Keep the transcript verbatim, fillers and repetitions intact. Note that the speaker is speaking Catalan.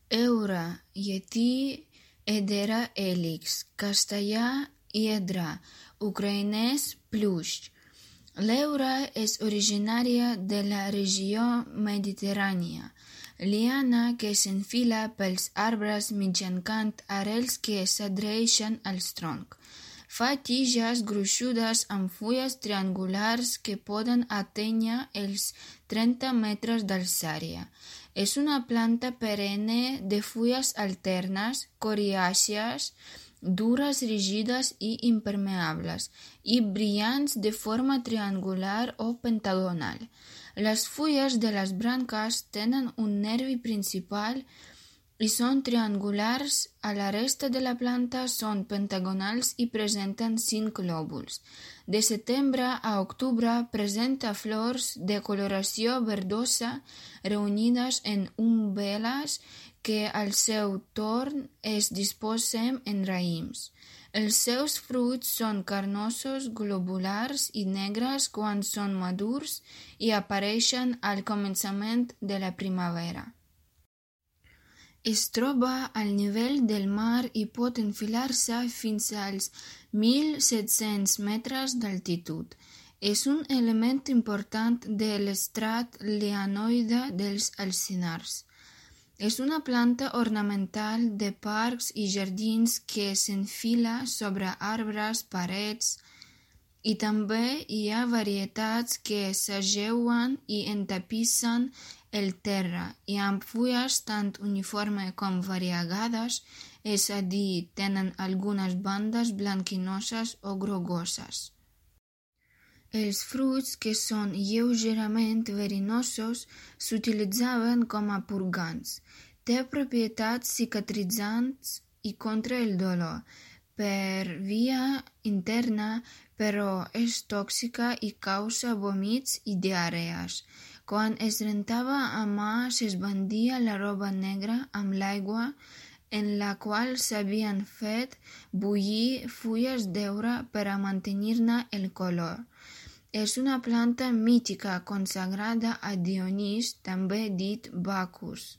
Eura, llatí, hedera, hèlix, castellà, hiedra, ucraïnès, pluix. L'heura és originària de la regió mediterrània, liana que s'enfila pels arbres mitjançant arrels que s'adhereixen als troncs. Fa tiges gruixudes amb fulles triangulars que poden atènyer els trenta metres d'alçària. És una planta perenne de fulles alternes, coriàcies, dures, rígides i impermeables, i brillants de forma triangular o pentagonal. Les fulles de les branques tenen un nervi principal i són triangulars, a la resta de la planta són pentagonals i presenten cinc lòbuls. De setembre a octubre presenta flors de coloració verdosa reunides en umbel·les que al seu torn es disposen en raïms. Els seus fruits són carnosos, globulars i negres quan són madurs i apareixen al començament de la primavera. Es troba al nivell del mar i pot enfilar-se fins als mil set-cents metres d'altitud. És un element important de l'estrat lianoide dels alzinars. És una planta ornamental de parcs i jardins que s'enfila sobre arbres, parets, i també hi ha varietats que s'ajeuen i entapissen el terra i amb fulles tant uniformes com variegades, és a dir, tenen algunes bandes blanquinoses o grogoses. Els fruits, que són lleugerament verinosos, s'utilitzaven com a purgants. Té propietats cicatritzants i contra el dolor per via interna, però és tòxica i causa vòmits i diarrees. Quan es rentava a mà s'esbandia la roba negra amb l'aigua en la qual s'havien fet bullir fulles d'heura per a mantenir-ne el color. És una planta mítica consagrada a Dionís, també dit Bacus.